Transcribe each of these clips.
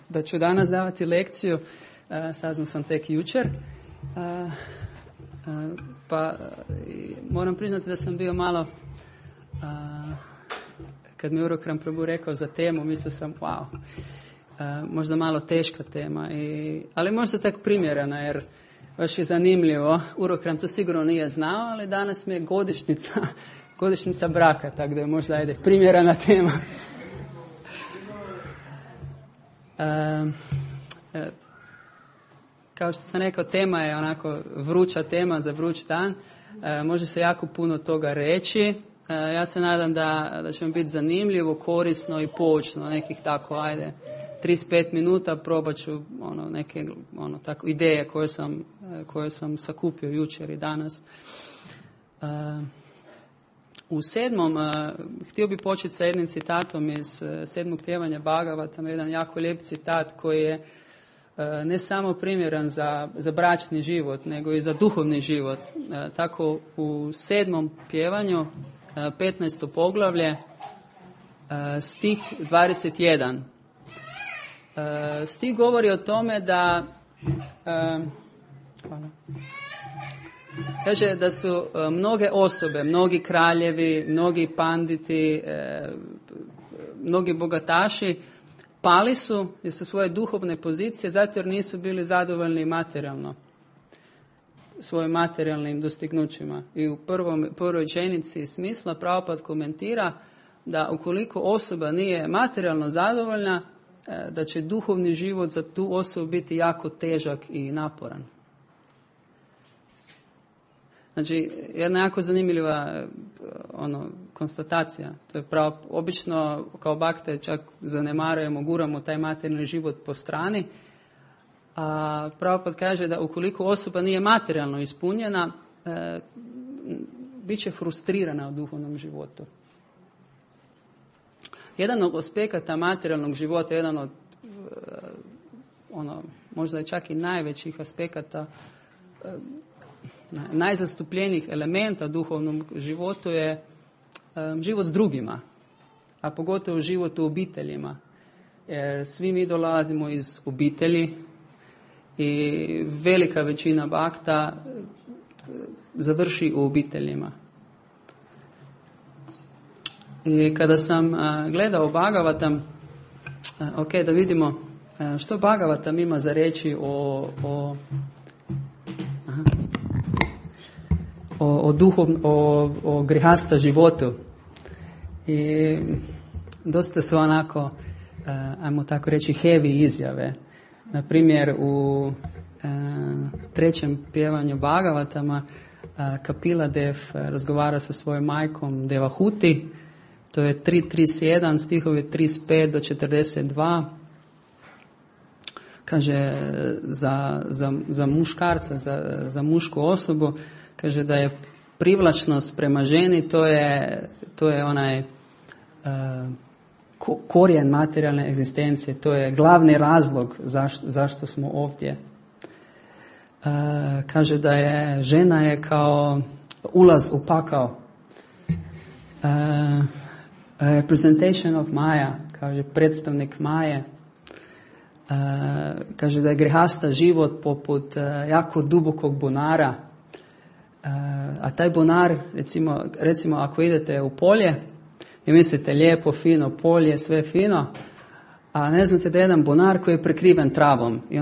da ću danas davati lekciju, saznao sam tek jučer, pa moram priznati da sam bio malo, kad mi Urokram Prabhu rekao za temu, mislio sam wow, možda malo teška tema, ali možda tak primjerena, jer baš je zanimljivo. Urokram to sigurno nije znao, ali danas mi je godišnjica braka, tako da je možda primjerena tema. Kao što sam rekao, tema je onako vruća tema za vruć dan. Može se jako puno toga reći. Ja se nadam da će vam biti zanimljivo, korisno i poučno, nekih tako, 35 minuta probat ću neke tako ideje koje sam sakupio jučer i danas. U 7. htio bih početi sa jednim citatom iz 7. pjevanja Bhagavatama, jedan jako lijep citat koji je ne samo primjeran za bračni život, nego i za duhovni život. Tako u 7. pjevanju, 15. poglavlje, stih 21. Stih govori o tome da kaže da su mnoge osobe, mnogi kraljevi, mnogi panditi, mnogi bogataši pali su sa svoje duhovne pozicije zato jer nisu bili zadovoljni materijalno svojim materijalnim dostignućima. I u prvoj rečenici smisla Prabhupada komentira da ukoliko osoba nije materijalno zadovoljna, da će duhovni život za tu osobu biti jako težak i naporan. Znači, jedna jako zanimljiva konstatacija. To je obično kao bakte čak zanemarujemo, guramo taj materijalni život po strani. A Prabhupada kaže da ukoliko osoba nije materijalno ispunjena, bit će frustrirana u duhovnom životu. Jedan od aspekata materijalnog života, jedan od možda je čak i najvećih aspekata, najzastupljenijih elementa duhovnom životu je život s drugima, a pogotovo život u obiteljima. Jer svi mi dolazimo iz obitelji i velika većina bakta završi u obiteljima. I kada sam gledao Bhagavatam, da vidimo što Bhagavatam ima za reći o grihasta životu. I dosta su onako, ajmo tako reći, heavy izjave. Na primjer, u 3. pjevanju Bhagavatama Kapila Dev razgovara sa svojom majkom Devahuti. To je 3.31, stihovi 35 do 42. Kaže za muškarca, za mušku osobu, kaže da je privlačnost prema ženi, to je onaj korijen materijalne egzistencije, to je glavni razlog zašto smo ovdje. Kaže da je žena je kao ulaz u pakao. Representation of Maya, kaže predstavnik Maje. Kaže da je grihasta život poput jako dubokog bunara. A taj bunar, recimo ako idete u polje i mislite lijepo, fino polje, sve fino, a ne znate da je jedan bunar koji je prekriven travom i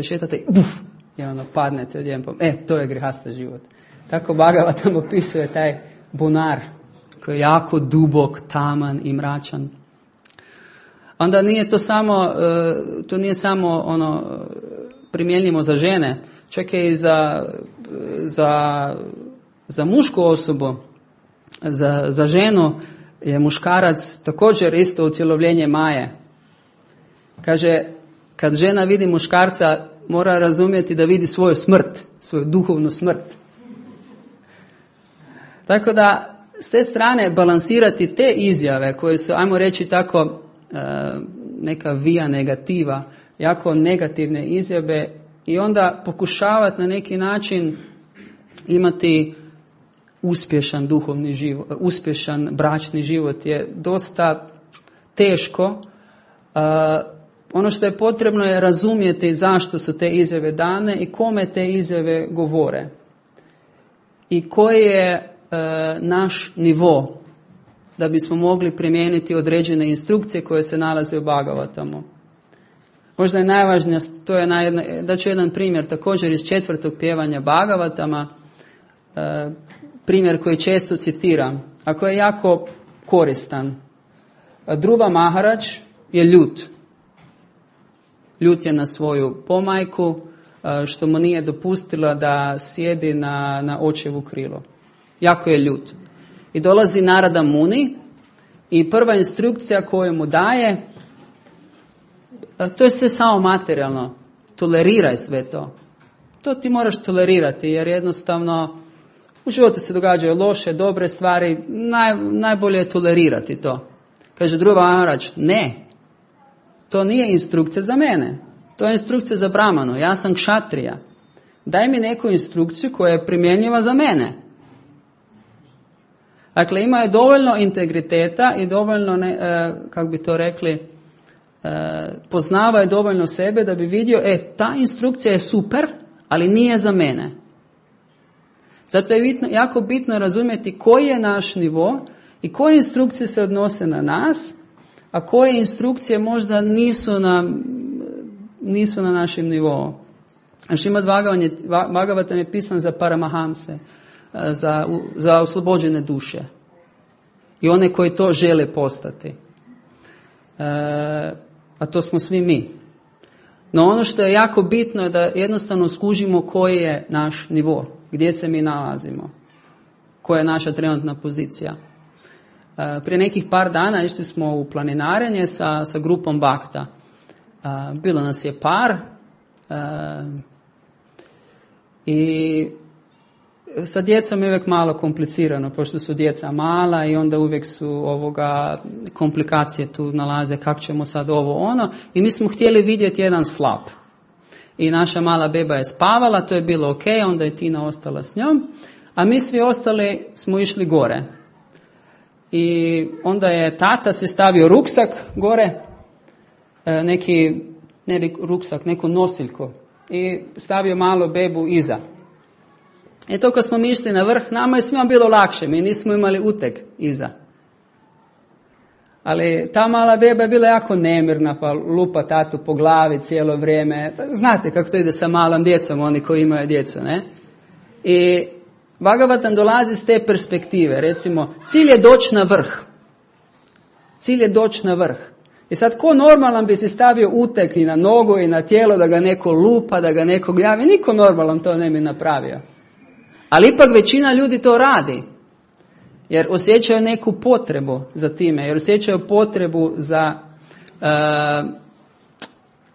šetate i padnete odjedanput. To je grihasta život. Tako Bhagavatam opisuje taj bunar koji je jako dubok, taman i mračan. Onda nije to nije samo primjenjivo za žene, čak je i za mušku osobu, za ženu je muškarac također isto utjelovljenje Maje. Kaže, kad žena vidi muškarca, mora razumjeti da vidi svoju smrt, svoju duhovnu smrt. Tako da, s te strane, balansirati te izjave koje su, ajmo reći tako, neka via negativa, jako negativne izjave, i onda pokušavati na neki način imati uspješan duhovni život, uspješan bračni život je dosta teško Ono što je potrebno je razumjeti zašto su te izjave dane i kome te izjave govore. I koji je naš nivo da bismo mogli primijeniti određene instrukcije koje se nalaze u Bhagavatamu. Možda je najvažnija, to je da ću jedan primjer također iz 4. pjevanja Bhagavatama, primjer koji često citiram, a koji je jako koristan. Dhruva Maharaj je ljut. Ljut je na svoju pomajku, što mu nije dopustila da sjedi na očevu krilo. Jako je ljut. I dolazi Narada Muni i prva instrukcija koju mu daje, to je sve samo materijalno. Toleriraj sve to. To ti moraš tolerirati jer jednostavno u životu se događaju loše, dobre stvari, najbolje je tolerirati to. Kaže Dhruva Maharaj, ne, to nije instrukcija za mene. To je instrukcija za Brahmanu. Ja sam kšatrija. Daj mi neku instrukciju koja je primjenjiva za mene. Dakle, ima je dovoljno integriteta i dovoljno, kako bi to rekli, poznava je dovoljno sebe da bi vidio, ta instrukcija je super, ali nije za mene. Zato je jako bitno razumjeti koji je naš nivo i koje instrukcije se odnose na nas, a koje instrukcije možda nisu na našem nivou. Šrimad Bhagavatam je pisan za paramahamse, za oslobođene duše i one koji to žele postati. A to smo svi mi. No ono što je jako bitno je da jednostavno skužimo koji je naš nivo, gdje se mi nalazimo, koja je naša trenutna pozicija. Prije nekih par dana išli smo u planinarenje sa grupom Bhakta. Bilo nas je par i sa djecom je uvijek malo komplicirano, pošto su djeca mala i onda uvijek su komplikacije tu nalaze, kako ćemo sad ovo ono. I mi smo htjeli vidjeti jedan slap. I naša mala beba je spavala, to je bilo ok, onda je Tina ostala s njom, a mi svi ostali smo išli gore. I onda je tata se stavio ruksak gore, neku nosiljku i stavio malo bebu iza. I to kad smo mi išli na vrh, nama je svima bilo lakše, mi nismo imali uteg iza. Ali ta mala beba je bila jako nemirna, pa lupa tatu po glavi cijelo vrijeme. Znate kako to ide sa malom djecom, oni koji imaju djecu, ne? I Bhagavatam dolazi s te perspektive. Recimo, cilj je doći na vrh. Cilj je doći na vrh. I sad, ko normalan bi si stavio uteg i na nogu i na tijelo da ga neko lupa, da ga neko javi? Niko normalan to ne bi napravio. Ali ipak većina ljudi to radi. Jer osjećaju neku potrebu za time. Jer osjećaju potrebu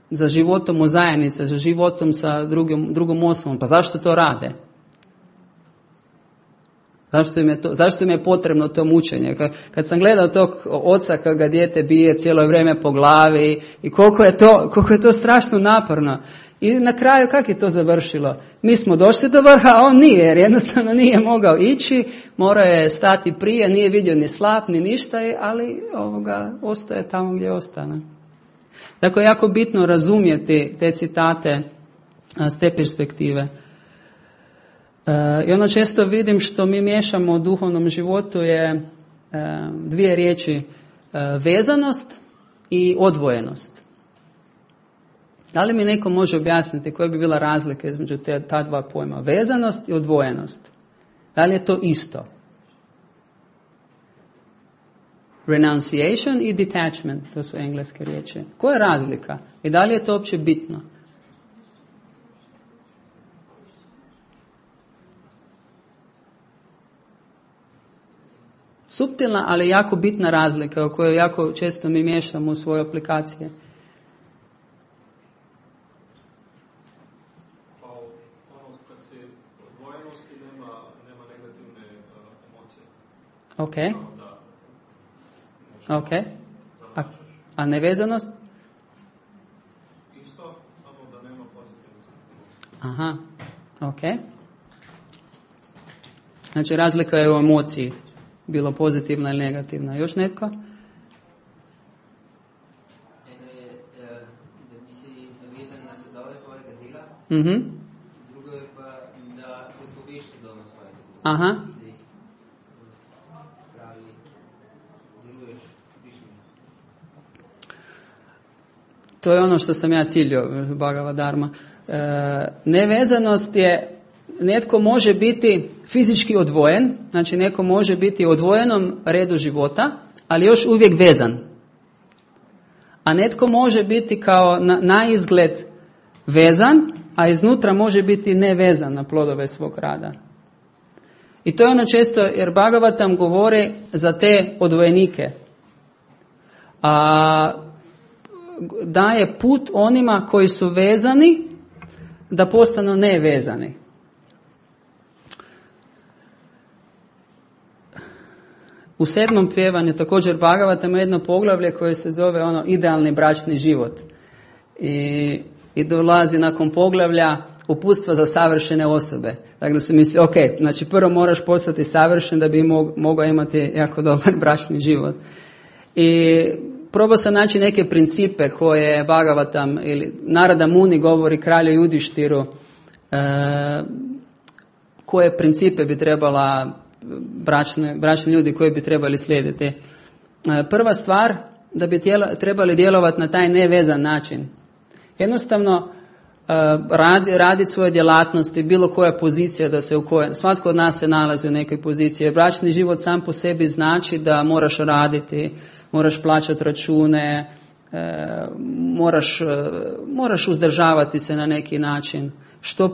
za životom u zajednici, za životom sa drugom osobom. Pa zašto to rade? Zašto im je potrebno to mučenje? Kad sam gledao tog oca kad ga dijete bije cijelo vrijeme po glavi i koliko je to strašno naporno. I na kraju kako je to završilo? Mi smo došli do vrha, a on nije, jer jednostavno nije mogao ići, morao je stati prije, nije vidio ni slap, ni ništa, ali ostaje tamo gdje ostane. Dakle, je jako bitno razumjeti te citate s te perspektive. I ono često vidim što mi miješamo u duhovnom životu je dvije riječi, vezanost i odvojenost. Da li mi neko može objasniti koja bi bila razlika između ta dva pojma, vezanost i odvojenost? Da li je to isto? Renunciation i detachment, to su engleske riječi. Koja je razlika? I da li je to uopće bitno? Suptilna, ali jako bitna razlika o kojoj jako često mi miješamo u svoje aplikacije. Ok. Ok. A nevezanost? Isto, samo da nema pozitivnog. Aha. Ok. Znači razlika je u emociji. Bilo pozitivna ili negativna. Još netko? svojega dela, Mhm. drugo je pa, da se poveš doma svojega dela. Aha. Da jih, pravi, deluješ višnji. To je ono što sam ja ciljio, Bhagavad Dharma. Nevezanost je, netko može biti fizički odvojen, znači neko može biti u odvojenom redu života, ali još uvijek vezan. A netko može biti kao na izgled vezan, a iznutra može biti nevezan na plodove svog rada. I to je ono često, jer Bhagavatam govori za te odvojenike. A daje put onima koji su vezani da postanu nevezani. U 7. pjevanju također Bhagavatam ima jedno poglavlje koje se zove idealni bračni život. I dolazi nakon poglavlja uputstva za savršene osobe. Dakle se misli, ok, znači prvo moraš postati savršen da bi mogao imati jako dobar bračni život. I probao sam naći neke principe koje Bhagavatam ili Narada Muni govori kralju Judištiru, koje principe bi trebala bračni ljudi koji bi trebali slijediti. Prva stvar, da bi trebali djelovati na taj nevezan način. Jednostavno raditi svoje djelatnosti, bilo koja pozicija da se u kojoj, svatko od nas se nalazi u nekoj poziciji. Bračni život sam po sebi znači da moraš raditi, moraš plaćati račune, moraš uzdržavati se na neki način, što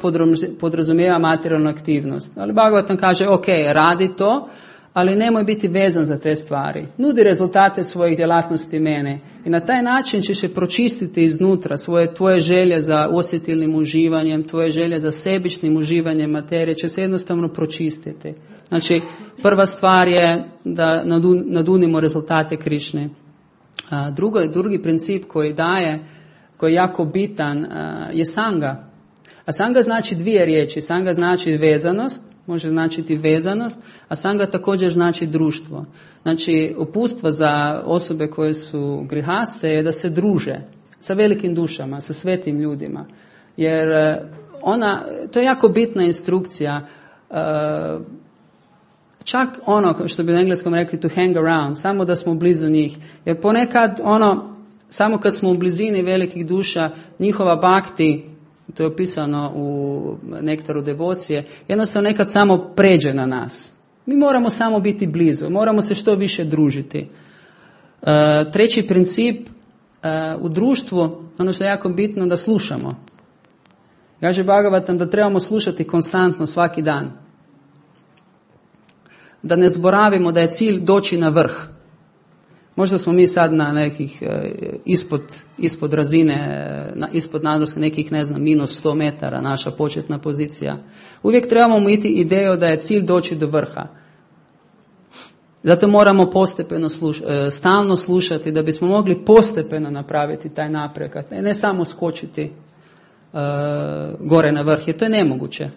podrazumijeva materijalnu aktivnost. Ali Bhagavatam kaže, ok, radi to, ali nemoj biti vezan za te stvari. Nudi rezultate svojih djelatnosti mene. I na taj način ćeš se pročistiti iznutra tvoje želje za osjetilnim uživanjem, tvoje želje za sebičnim uživanjem materije će se jednostavno pročistiti. Znači, prva stvar je da nadunimo rezultate Krišne. Drugi princip koji daje, koji je jako bitan, je sanga. A sanga znači dvije riječi. Sanga znači vezanost, može značiti vezanost, a sanga također znači društvo. Znači, uputstvo za osobe koje su grihaste je da se druže sa velikim dušama, sa svetim ljudima. Jer to je jako bitna instrukcija. Čak ono, što bi na engleskom rekli to hang around, samo da smo blizu njih. Jer ponekad samo kad smo u blizini velikih duša, njihova bhakti, to je opisano u Nektaru devocije, jednostavno nekad samo pređe na nas. Mi moramo samo biti blizu, moramo se što više družiti. Treći princip, u društvu, ono što je jako bitno, da slušamo. Kaže Bhagavatam da trebamo slušati konstantno svaki dan. Da ne zaboravimo da je cilj doći na vrh. Možda smo mi sad na nekih ispod razine, ispod nadmorske nekih, minus 100 metara, naša početna pozicija. Uvijek trebamo imati ideju da je cilj doći do vrha. Zato moramo postepeno stalno slušati da bismo mogli postepeno napraviti taj napredak. Ne samo skočiti gore na vrh, jer to je nemoguće.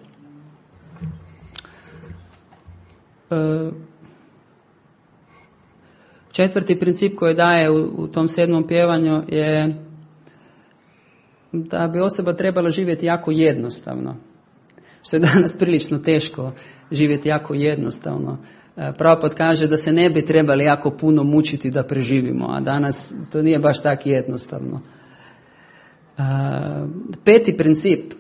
Četvrti princip koji daje u tom 7. pjevanju je da bi osoba trebala živjeti jako jednostavno. Što je danas prilično teško živjeti jako jednostavno. Prabhupada kaže da se ne bi trebali jako puno mučiti da preživimo, a danas to nije baš tako jednostavno. Peti princip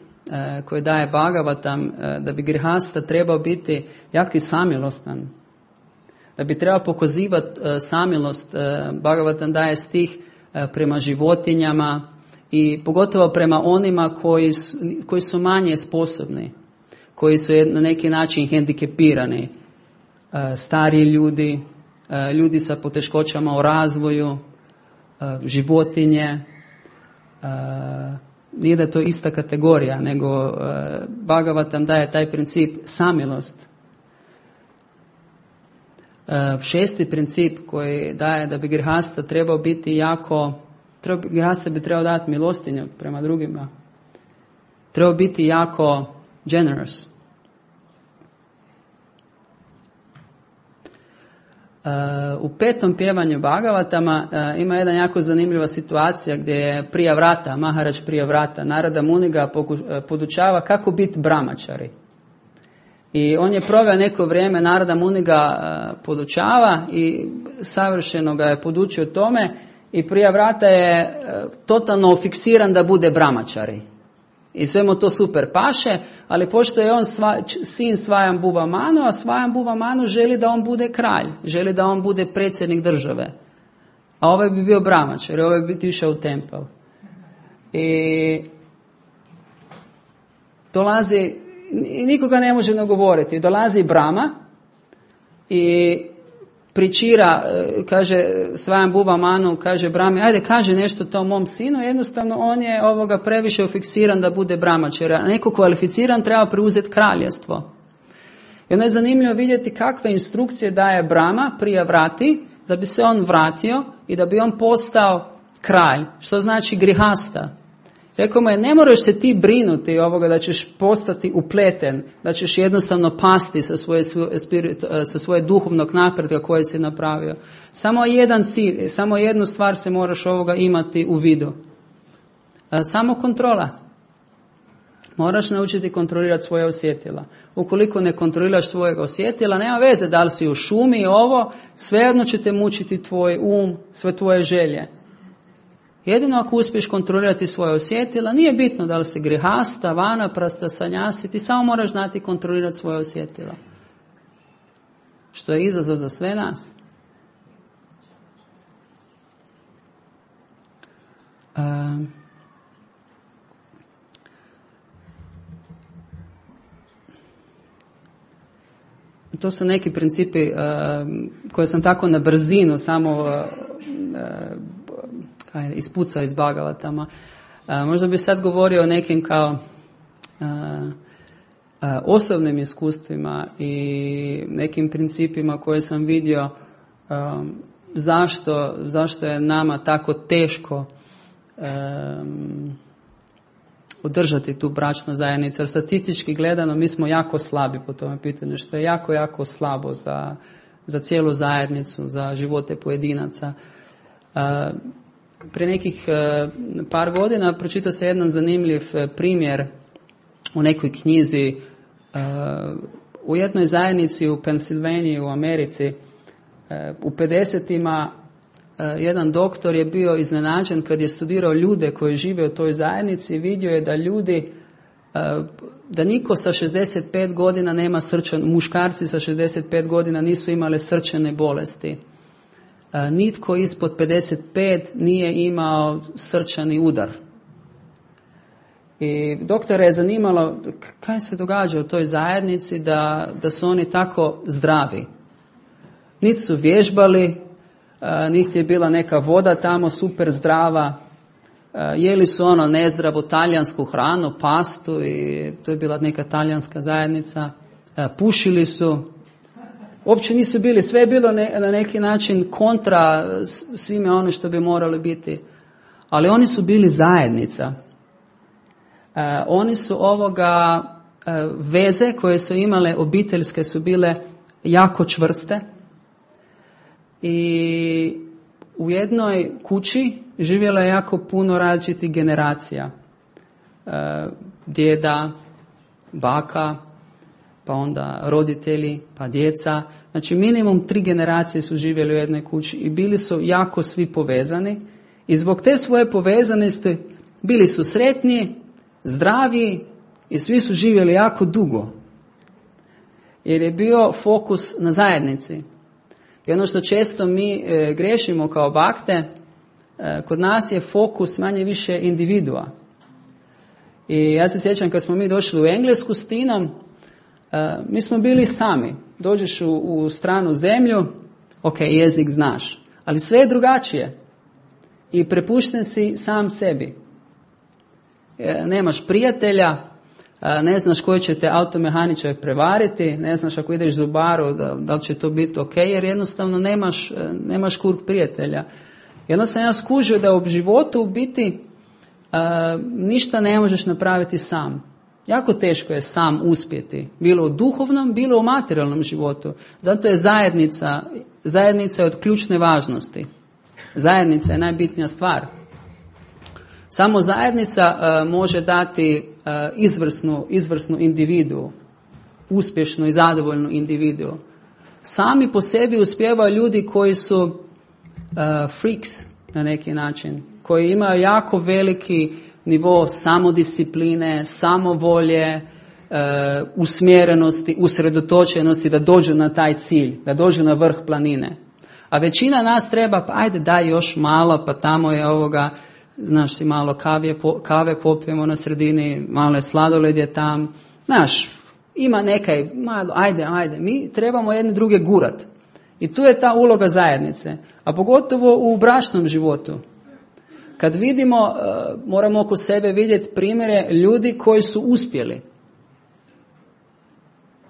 koji daje Bhagavatam, da bi grihasta trebao biti jako samilostan. Da bi trebao pokazivati samilost, Bhagavatam daje stih prema životinjama i pogotovo prema onima koji su manje sposobni, koji su na neki način hendikepirani, stariji ljudi, ljudi sa poteškoćama u razvoju, životinje. Nije da to ista kategorija, nego Bhagavatam daje taj princip samilost. Šesti princip koji daje da bi grihasta trebao biti grihasta bi trebao dati milostinju prema drugima. Trebao biti jako generous. U 5. pjevanju Bhagavatama ima jedna jako zanimljiva situacija gdje je Priyavrata, Maharaj Priyavrata, Narada Muni ga podučava kako biti brahmačari. I on je proveo neko vrijeme, Narada Muni ga podučava i savršeno ga je podučio tome i Priyavrata je totalno fiksiran da bude brahmačari. I sve mu to super paše, ali pošto je on sin Svayambhuva Manu, a Svayambhuva Manu želi da on bude kralj, želi da on bude predsjednik države. A ovaj bi bio brahmačar, ovaj bi išao u tempel. I dolazi, nikoga ne može nagovoriti, dolazi Brahma i pričira, kaže Svayambhuva Manu, kaže Brahmi, ajde kaže nešto tom mom sinu, jednostavno on je previše fiksiran da bude brahmačar, a neko kvalificiran treba preuzeti kraljevstvo. I onda je zanimljivo vidjeti kakve instrukcije daje Brahma Priyavrati da bi se on vratio i da bi on postao kralj, što znači grihasta. Rekao mu je, ne moraš se ti brinuti da ćeš postati upleten, da ćeš jednostavno pasti sa svoje duhovnog napretka koje si napravio. Samo jedan cilj, samo jednu stvar se moraš imati u vidu. Samo kontrola. Moraš naučiti kontrolirati svoje osjetila. Ukoliko ne kontroliraš svojeg osjetila, nema veze da li si u šumi, svejedno će te mučiti tvoj sve tvoje želje. Jedino ako uspiješ kontrolirati svoje osjetila, nije bitno da li si grihasta, vanaprasta, sanjasi, ti samo moraš znati kontrolirati svoje osjetila. Što je izazov za sve nas. To su neki principi koje sam tako na brzinu samo ispucao iz Bhagavatama. Možda bi sad govorio o nekim kao osobnim iskustvima i nekim principima koje sam vidio zašto je nama tako teško održati tu bračnu zajednicu. Jer statistički gledano mi smo jako slabi po tome pitanju, što je jako, jako slabo za cijelu zajednicu, za živote pojedinaca. Prije nekih par godina pročitao se jedan zanimljiv primjer u nekoj knjizi u jednoj zajednici u Pensilvaniji u Americi. U 50-ima jedan doktor je bio iznenađen kad je studirao ljude koji žive u toj zajednici, vidio je da ljudi, da niko sa 65 godina nema muškarci sa 65 godina nisu imali srčane bolesti. Nitko ispod 55 nije imao srčani udar. I doktora je zanimalo kaj se događa u toj zajednici da su oni tako zdravi. Niti su vježbali, niti je bila neka voda tamo super zdrava, jeli su nezdravu talijansku hranu, pastu, i to je bila neka talijanska zajednica, pušili su, uopće nisu bili, sve je bilo na neki način kontra svime ono što bi morali biti, ali oni su bili zajednica. Oni su veze koje su imale obiteljske su bile jako čvrste. I u jednoj kući živjelo je jako puno različitih generacija. Djeda, baka, pa onda roditelji, pa djeca. Znači minimum 3 generacije su živjeli u jednoj kući i bili su jako svi povezani. I zbog te svoje povezanosti bili su sretni, zdravi i svi su živjeli jako dugo. Jer je bio fokus na zajednici. I ono što često mi grešimo kao bakte, kod nas je fokus manje više individua. I ja se sjećam kad smo mi došli u Englesku s Tinom, mi smo bili sami. Dođeš u stranu zemlju, ok, jezik znaš, ali sve je drugačije. I prepušten si sam sebi. Nemaš prijatelja, ne znaš koji će te automehaničar prevariti, ne znaš ako ideš zubaru da li će to biti ok, jer jednostavno nemaš krug prijatelja. I onda sam ja skužio da u životu u biti ništa ne možeš napraviti sam. Jako teško je sam uspjeti, bilo u duhovnom, bilo u materijalnom životu. Zato je zajednica je od ključne važnosti. Zajednica je najbitnija stvar. Samo zajednica može dati izvrsnu individu, uspješnu i zadovoljnu individu. Sami po sebi uspijevaju ljudi koji su freaks na neki način, koji imaju jako veliki nivo samodiscipline, samovolje, usmjerenosti, usredotočenosti da dođu na taj cilj, da dođu na vrh planine. A većina nas treba, pa ajde daj još malo, pa tamo je ovoga, znaš, si malo kave popijemo na sredini, malo je sladoled je tam, znaš, ima nekaj, malo, ajde, mi trebamo jedne druge gurat. I tu je ta uloga zajednice, a pogotovo u bračnom životu. Kad vidimo, moramo oko sebe vidjeti primjere ljudi koji su uspjeli.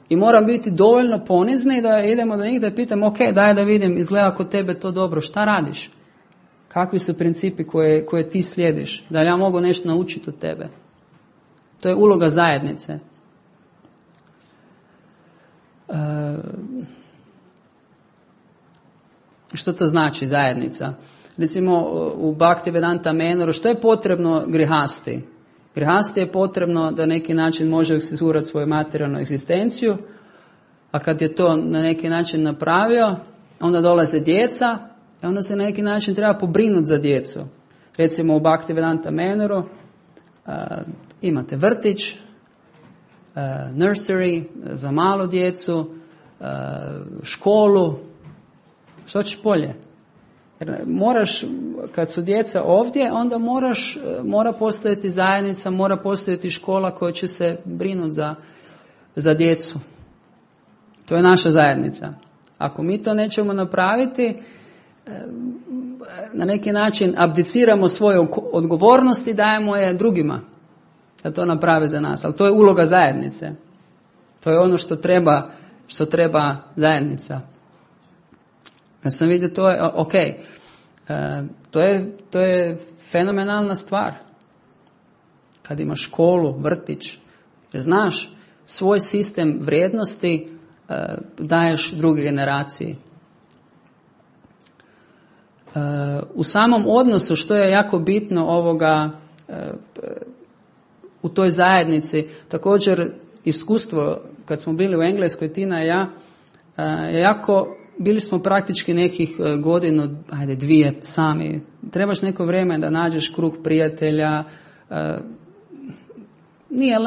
I moram biti dovoljno ponizni da idemo do njih da pitam, ok, daj da vidim, izgleda kod tebe to dobro, šta radiš? Kakvi su principi koje ti slijediš? Da li ja mogu nešto naučiti od tebe? To je uloga zajednice. Što to znači zajednica? Recimo u Bhaktivedanta Menoru, što je potrebno grihasti? Grihasti je potrebno da neki način može osigurati svoju materijalnu egzistenciju, a kad je to na neki način napravio, onda dolaze djeca, i onda se na neki način treba pobrinuti za djecu. Recimo u Bhaktivedanta Menoru imate vrtić, nursery za malu djecu, školu. Što ćeš bolje? Jer moraš, kad su djeca ovdje, onda mora postojati zajednica, mora postojati škola koja će se brinuti za djecu. To je naša zajednica. Ako mi to nećemo napraviti, na neki način abdiciramo svoje odgovornosti i dajemo je drugima da to naprave za nas. Ali to je uloga zajednice. To je ono što treba zajednica. Ja sam vidio, to je ok. To je fenomenalna stvar. Kad imaš školu, vrtić, jer znaš, svoj sistem vrijednosti daješ druge generaciji. U samom odnosu, što je jako bitno u toj zajednici, također iskustvo, kad smo bili u Engleskoj, Tina i ja, bili smo praktički nekih godinu, dvije sami. Trebaš neko vrijeme da nađeš krug prijatelja.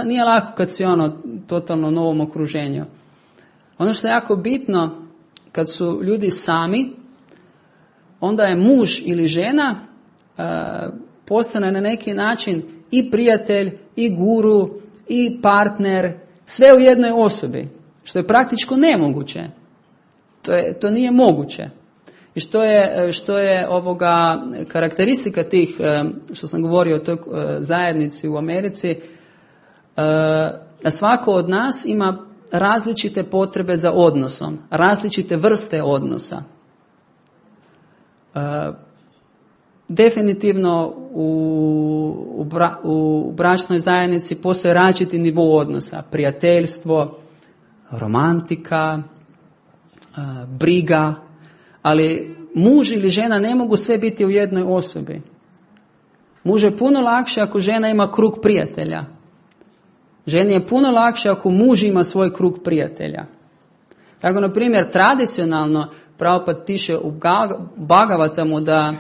Nije lako kad si totalno novom okruženju. Ono što je jako bitno, kad su ljudi sami, onda je muž ili žena postane na neki način i prijatelj, i guru, i partner, sve u jednoj osobi, što je praktički nemoguće. To nije moguće. I što je karakteristika tih, što sam govorio o toj zajednici u Americi, da svako od nas ima različite potrebe za odnosom, različite vrste odnosa. Definitivno u bračnoj zajednici postoje različiti nivo odnosa, prijateljstvo, romantika, briga, ali muž ili žena ne mogu sve biti u jednoj osobi. Muž je puno lakše ako žena ima krug prijatelja. Ženi je puno lakše ako muž ima svoj krug prijatelja. Tako, na primjer, tradicionalno Prabhupada piše u Bhagavatamu da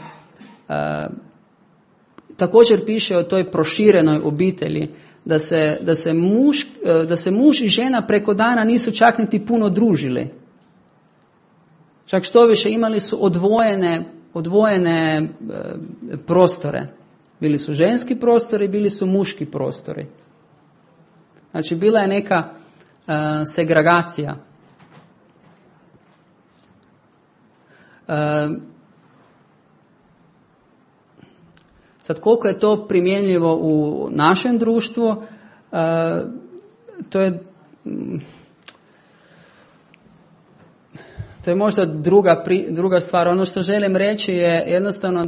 također piše o toj proširenoj obitelji, da se muž i žena preko dana nisu čak niti puno družili. Čak što više, imali su odvojene prostore. Bili su ženski prostori, bili su muški prostori. Znači, bila je neka segregacija. Sad, koliko je to primjenjivo u našem društvu, to je možda druga stvar. Ono što želim reći je jednostavno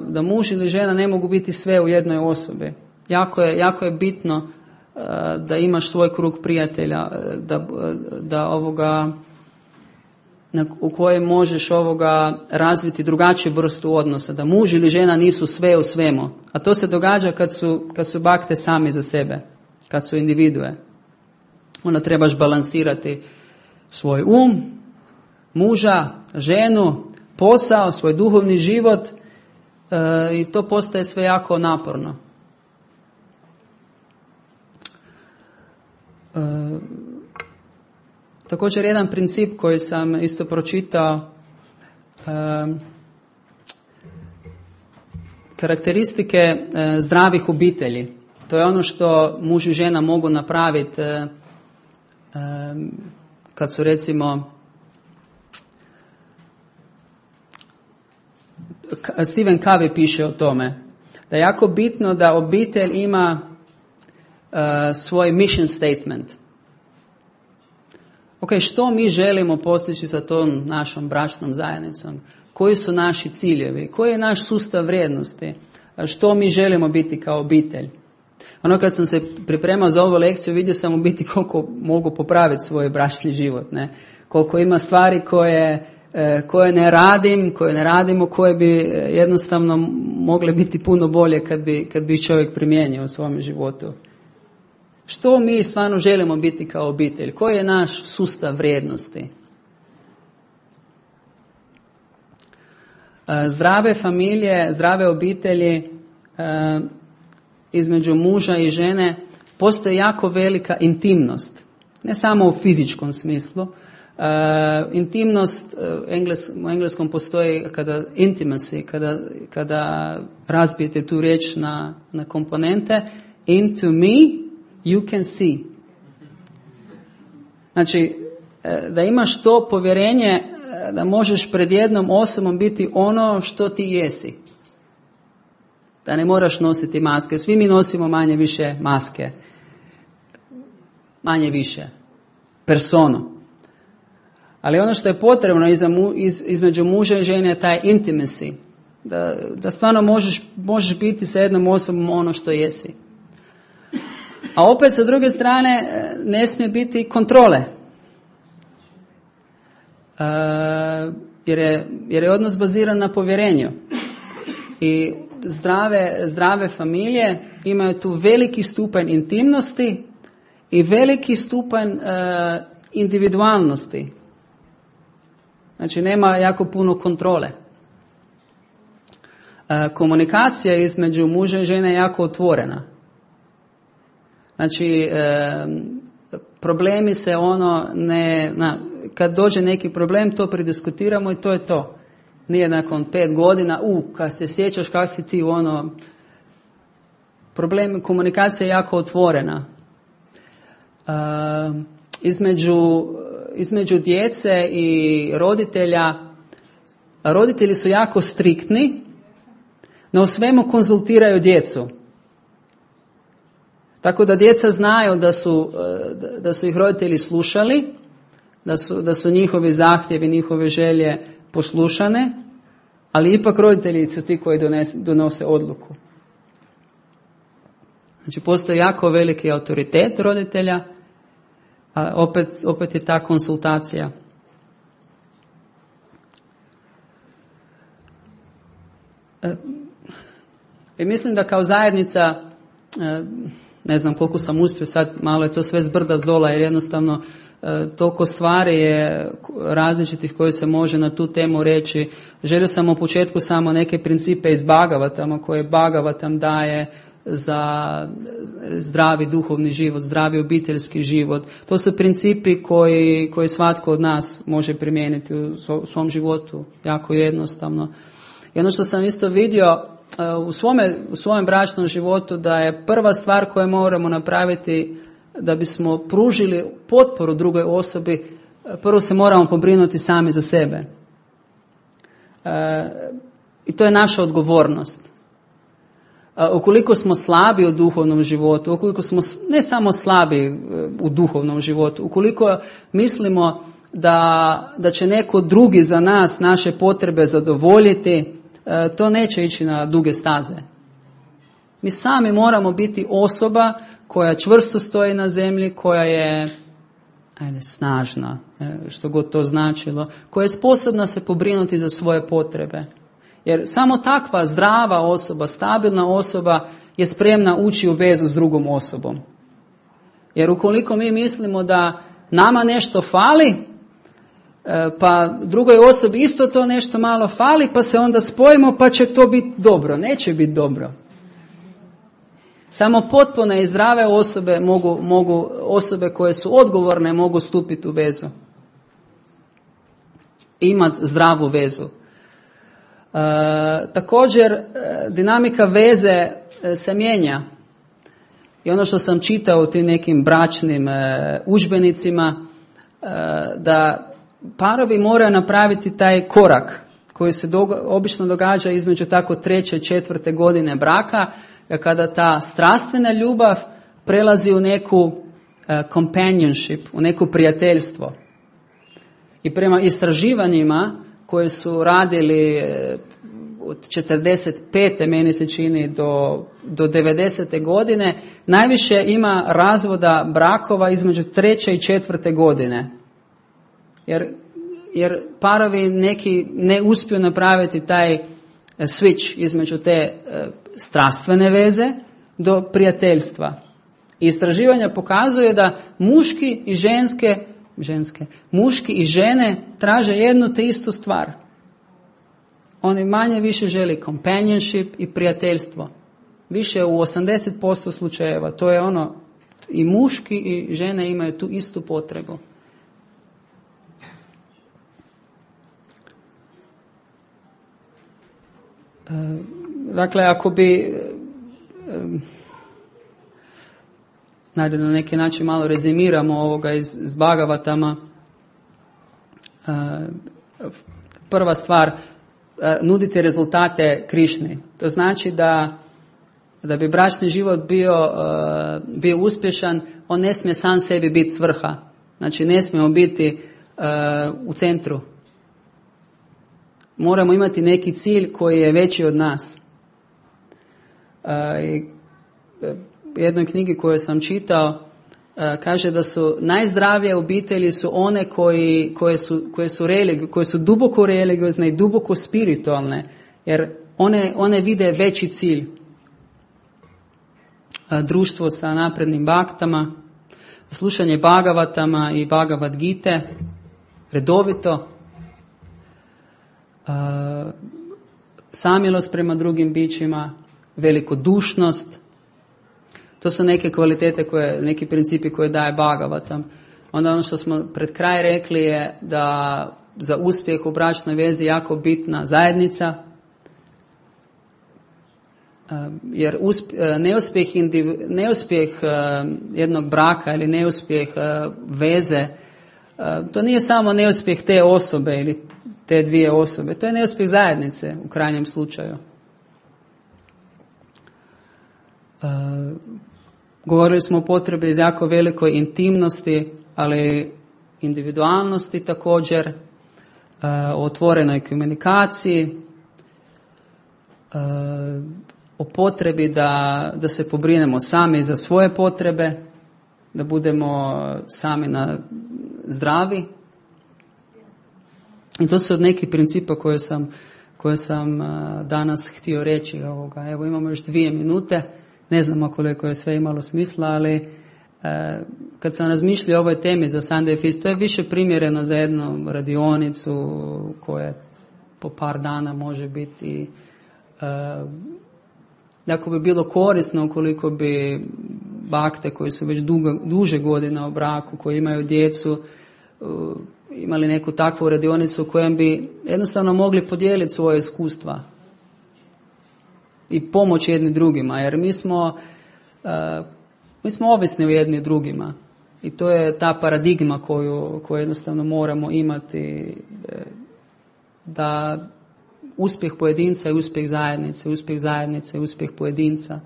da muž ili žena ne mogu biti sve u jednoj osobi. Jako je bitno da imaš svoj krug prijatelja, u kojem možeš razviti drugačiju vrstu odnosa, da muž ili žena nisu sve u svemu. A to se događa kad su bakte sami za sebe, kad su individue. Onda trebaš balansirati svoj muža, ženu, posao, svoj duhovni život i to postaje sve jako naporno. Također jedan princip koji sam isto pročitao, karakteristike zdravih obitelji. To je ono što muž i žena mogu napraviti kad su recimo Stephen Covey piše o tome da je jako bitno da obitelj ima svoj mission statement. Ok, što mi želimo postići sa tom našom bračnom zajednicom? Koji su naši ciljevi? Koji je naš sustav vrijednosti? Što mi želimo biti kao obitelj? Kad sam se pripremao za ovu lekciju, vidio sam u biti koliko mogu popraviti svoj bračni život. Ne? Koliko ima stvari koje ne radimo, koje bi jednostavno mogle biti puno bolje kad bi čovjek primijenio u svom životu. Što mi stvarno želimo biti kao obitelj? Koji je naš sustav vrijednosti? Zdrave familije, zdrave obitelji između muža i žene postoji jako velika intimnost. Ne samo u fizičkom smislu. Intimnost u engleskom postoji intimacy, kada razbijete tu riječ na komponente. Into me you can see. Znači, da imaš to povjerenje da možeš pred jednom osobom biti ono što ti jesi. Da ne moraš nositi maske. Svi mi nosimo manje više maske. Manje više. Personu. Ali ono što je potrebno između muža i žene je taj intimacy. Da stvarno možeš biti sa jednom osobom ono što jesi. A opet sa druge strane ne smije biti kontrole. Jer je odnos baziran na povjerenju. I zdrave familije imaju tu veliki stupanj intimnosti i veliki stupanj individualnosti. Znači nema jako puno kontrole. Komunikacija između muža i žene je jako otvorena. Znači, problemi se kad dođe neki problem, to prediskutiramo i to je to. Nije nakon 5 godina, kad se sjećaš kak si ti problem, komunikacija je jako otvorena. Između djece i roditelji su jako striktni, no u svemu konzultiraju djecu. Tako da djeca znaju da su ih roditelji slušali, da su njihovi zahtjevi, njihove želje poslušane, ali ipak roditelji su ti koji donose odluku. Znači postoji jako veliki autoritet roditelja, a opet je ta konsultacija. I mislim da kao zajednica, ne znam koliko sam uspio sad, malo je to sve zbrda zdola jer jednostavno toliko stvari je različitih koje se može na tu temu reći. Želio sam u početku samo neke principe iz Bhagavatama koje Bhagavatam daje za zdravi duhovni život, zdravi obiteljski život. To su principi koji svatko od nas može primijeniti u svom životu, jako jednostavno. I ono što sam isto vidio u svojem bračnom životu, da je prva stvar koju moramo napraviti da bismo pružili potporu drugoj osobi, prvo se moramo pobrinuti sami za sebe. I to je naša odgovornost. Ukoliko smo slabi u duhovnom životu, ukoliko smo ne samo slabi u duhovnom životu, ukoliko mislimo da će neko drugi za nas naše potrebe zadovoljiti, to neće ići na duge staze. Mi sami moramo biti osoba koja čvrsto stoji na zemlji, koja je snažna, što god to značilo, koja je sposobna se pobrinuti za svoje potrebe. Jer samo takva zdrava osoba, stabilna osoba je spremna ući u vezu s drugom osobom. Jer ukoliko mi mislimo da nama nešto fali, pa drugoj osobi isto to nešto malo fali, pa se onda spojimo pa će to biti dobro. Neće biti dobro. Samo potpune i zdrave osobe mogu osobe koje su odgovorne mogu stupiti u vezu. Imati zdravu vezu. Također, dinamika veze se mijenja. I ono što sam čitao u tim nekim bračnim udžbenicima, da parovi moraju napraviti taj korak koji se obično događa između tako 3. i 4. godine braka, kada ta strastvena ljubav prelazi u neku companionship, u neko prijateljstvo. I prema istraživanjima koje su radili od 45. meni se čini do 90. godine, najviše ima razvoda brakova između 3. i 4. godine. Jer parovi neki ne uspiju napraviti taj switch između te strastvene veze do prijateljstva. I istraživanja pokazuje da muški i žene traže jednu te istu stvar. Oni manje više želi companionship i prijateljstvo. Više u 80% slučajeva. To je ono, i muški i žene imaju tu istu potrebu. Dakle, ako bi na neki način malo rezimiramo ovoga iz Bhagavatama, prva stvar, nudite rezultate Krišni. To znači da bi bračni život bio uspješan, on ne smije sam sebi biti svrha. Znači, ne smijemo biti u centru. Moramo imati neki cilj koji je veći od nas. U jednoj knjigi koju sam čitao kaže da su najzdravije obitelji su one koje su duboko religiozne i duboko spiritualne, jer one vide veći cilj. Društvo sa naprednim baktama, slušanje Bhagavatama i Bhagavad Gite redovito, samilost prema drugim bićima, velikodušnost. To su neke kvalitete, neki principi koje daje Bhagavatam. Onda ono što smo pred kraj rekli je da za uspjeh u bračnoj vezi jako bitna zajednica, jer neuspjeh jednog braka ili neuspjeh veze, to nije samo neuspjeh te osobe ili te dvije osobe, to je neuspjeh zajednice u krajnjem slučaju. Govorili smo o potrebi za jako velikoj intimnosti, ali individualnosti također, o otvorenoj komunikaciji, o potrebi da se pobrinemo sami za svoje potrebe, da budemo sami zdravi. I to su od nekih principa koje sam danas htio reći. Evo, imamo još 2 minute. Ne znamo koliko je sve imalo smisla, ali kad sam razmišljao o ovoj temi za Sunday Feast, to je više primjereno za jednu radionicu koja po par dana može biti. Ako bi bilo korisno ukoliko bi bakte koji su već duže godina u braku, koji imaju djecu, imali neku takvu radionicu u kojem bi jednostavno mogli podijeliti svoje iskustva i pomoći jedni drugima, jer mi smo ovisni u jedni drugima i to je ta paradigma koju jednostavno moramo imati, da uspjeh pojedinca je uspjeh zajednice je uspjeh pojedinca.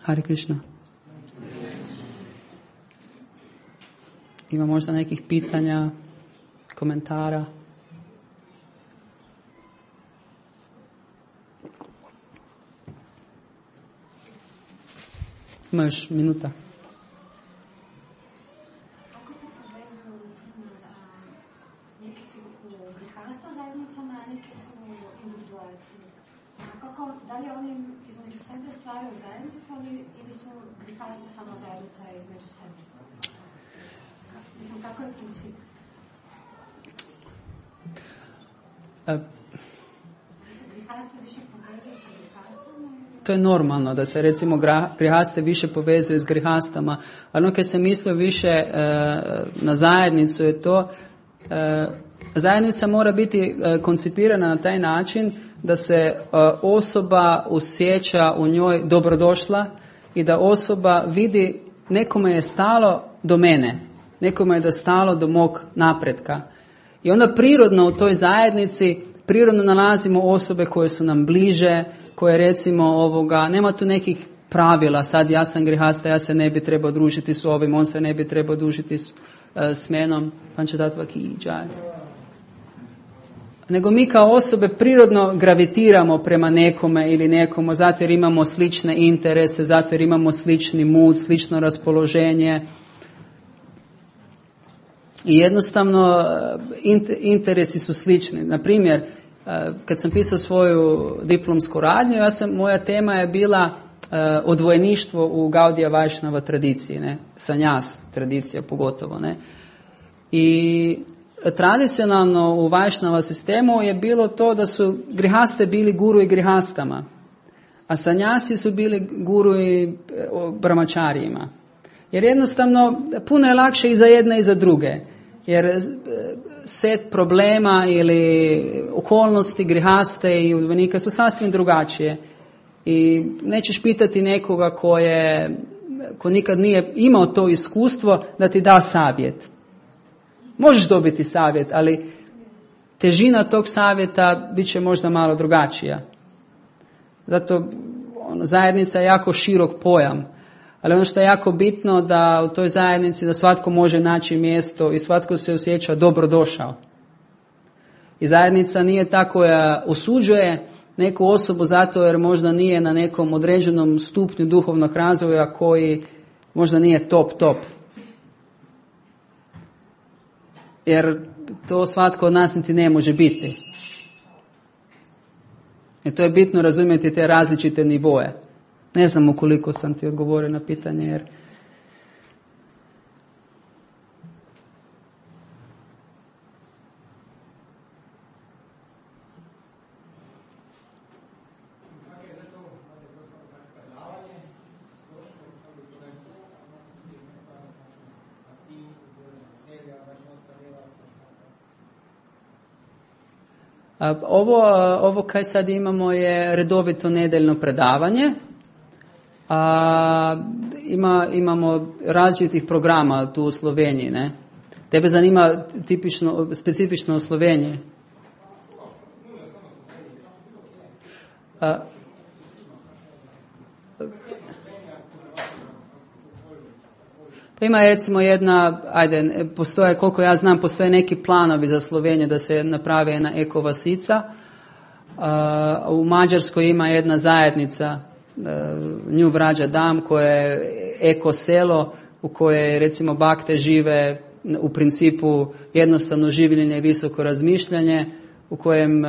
Hare Krishna. Ima možda nekih pitanja, komentara? Ima još minuta. Kako se povezuju, neki su u grihasta zajednicama, a neki su individualci? Da li oni između sebe stvaraju zajednicu ili su grihasti samo zajednica između sebe? Mislim, kako je princip? Grihasta više povezuje sa grihastama? To je normalno da se recimo grihaste više povezuje s grihastama, ali ono kad se misli više na zajednicu je to, zajednica mora biti koncipirana na taj način da se osoba osjeća u njoj dobrodošla i da osoba vidi nekome je stalo do mene, nekome je stalo do mog napretka. I onda prirodno u toj zajednici prirodno nalazimo osobe koje su nam bliže, koje recimo nema tu nekih pravila, sad ja sam grihasta, ja se ne bi trebao družiti s ovim, on se ne bi trebao družiti s menom, nego mi kao osobe prirodno gravitiramo prema nekome ili nekomu, zato jer imamo slične interese, zato jer imamo slični mood, slično raspoloženje. I jednostavno interesi su slični. Na primjer, kad sam pisao svoju diplomsku radnju, moja tema je bila odvojeništvo u Gaudija Vajšnava tradiciji, ne? Sanjas tradicija pogotovo. Ne? I tradicionalno u Vajšnava sistemu je bilo to da su grihaste bili guru i grihastama, a sanjasi su bili guru i brahmačarijima. Jer jednostavno puno je lakše i za jedne i za druge. Jer set problema ili okolnosti grihaste i udvojenika su sasvim drugačije. I nećeš pitati nekoga ko nikad nije imao to iskustvo da ti da savjet. Možeš dobiti savjet, ali težina tog savjeta bit će možda malo drugačija. Zato zajednica je jako širok pojam. Ali ono što je jako bitno da u toj zajednici da svatko može naći mjesto i svatko se osjeća dobrodošao. I zajednica nije ta koja osuđuje neku osobu zato jer možda nije na nekom određenom stupnju duhovnog razvoja koji možda nije top. Jer to svatko od nas niti ne može biti. I to je bitno razumjeti te različite nivoje. Ne znam ukoliko sam ti odgovorio na pitanje, jer ovo kaj sad imamo je redovito nedeljno predavanje. Imamo različitih programa tu u Sloveniji, ne? Tebe zanima specifično u Sloveniji? Pa ima recimo koliko ja znam, postoje neki planovi za Sloveniju da se napravi jedna ekovasica. U Mađarskoj ima jedna zajednica Nju Vrađa Dam, koje je eko selo u kojoj recimo bakte žive u principu jednostavno življenje i visoko razmišljanje, u kojem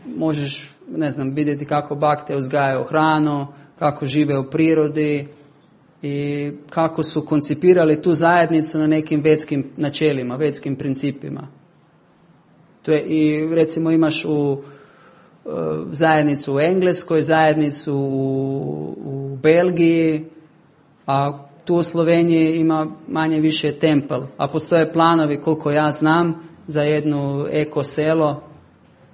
možeš vidjeti kako bakte uzgajaju hranu, kako žive u prirodi i kako su koncipirali tu zajednicu na nekim vetskim načelima, vetskim principima. To je, i recimo imaš zajednicu u Engleskoj, zajednicu u Belgiji, a tu u Sloveniji ima manje više tempel, a postoje planovi koliko ja znam za jedno eko selo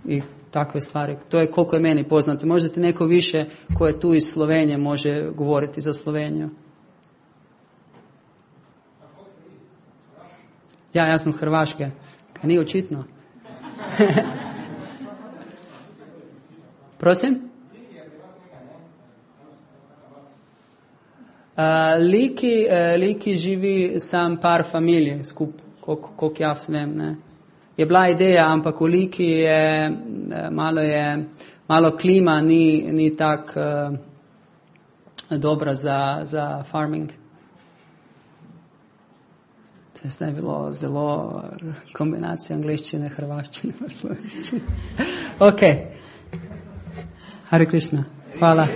i takve stvari. To je koliko je meni poznato. Možda ti neko više ko je tu iz Slovenije može govoriti za Sloveniju. Ja sam s Hrvaške. Kaj nije očitno? Prosim? Liki živi sam par familije skup, koliko ja vem, ne. Je bila ideja, ampak v Liki je malo klima ni tak dobra za farming. To je zdaj bilo zelo kombinacija angleščine, hrvaščine in slovenščine. Ok. Hare Krishna. Hvala.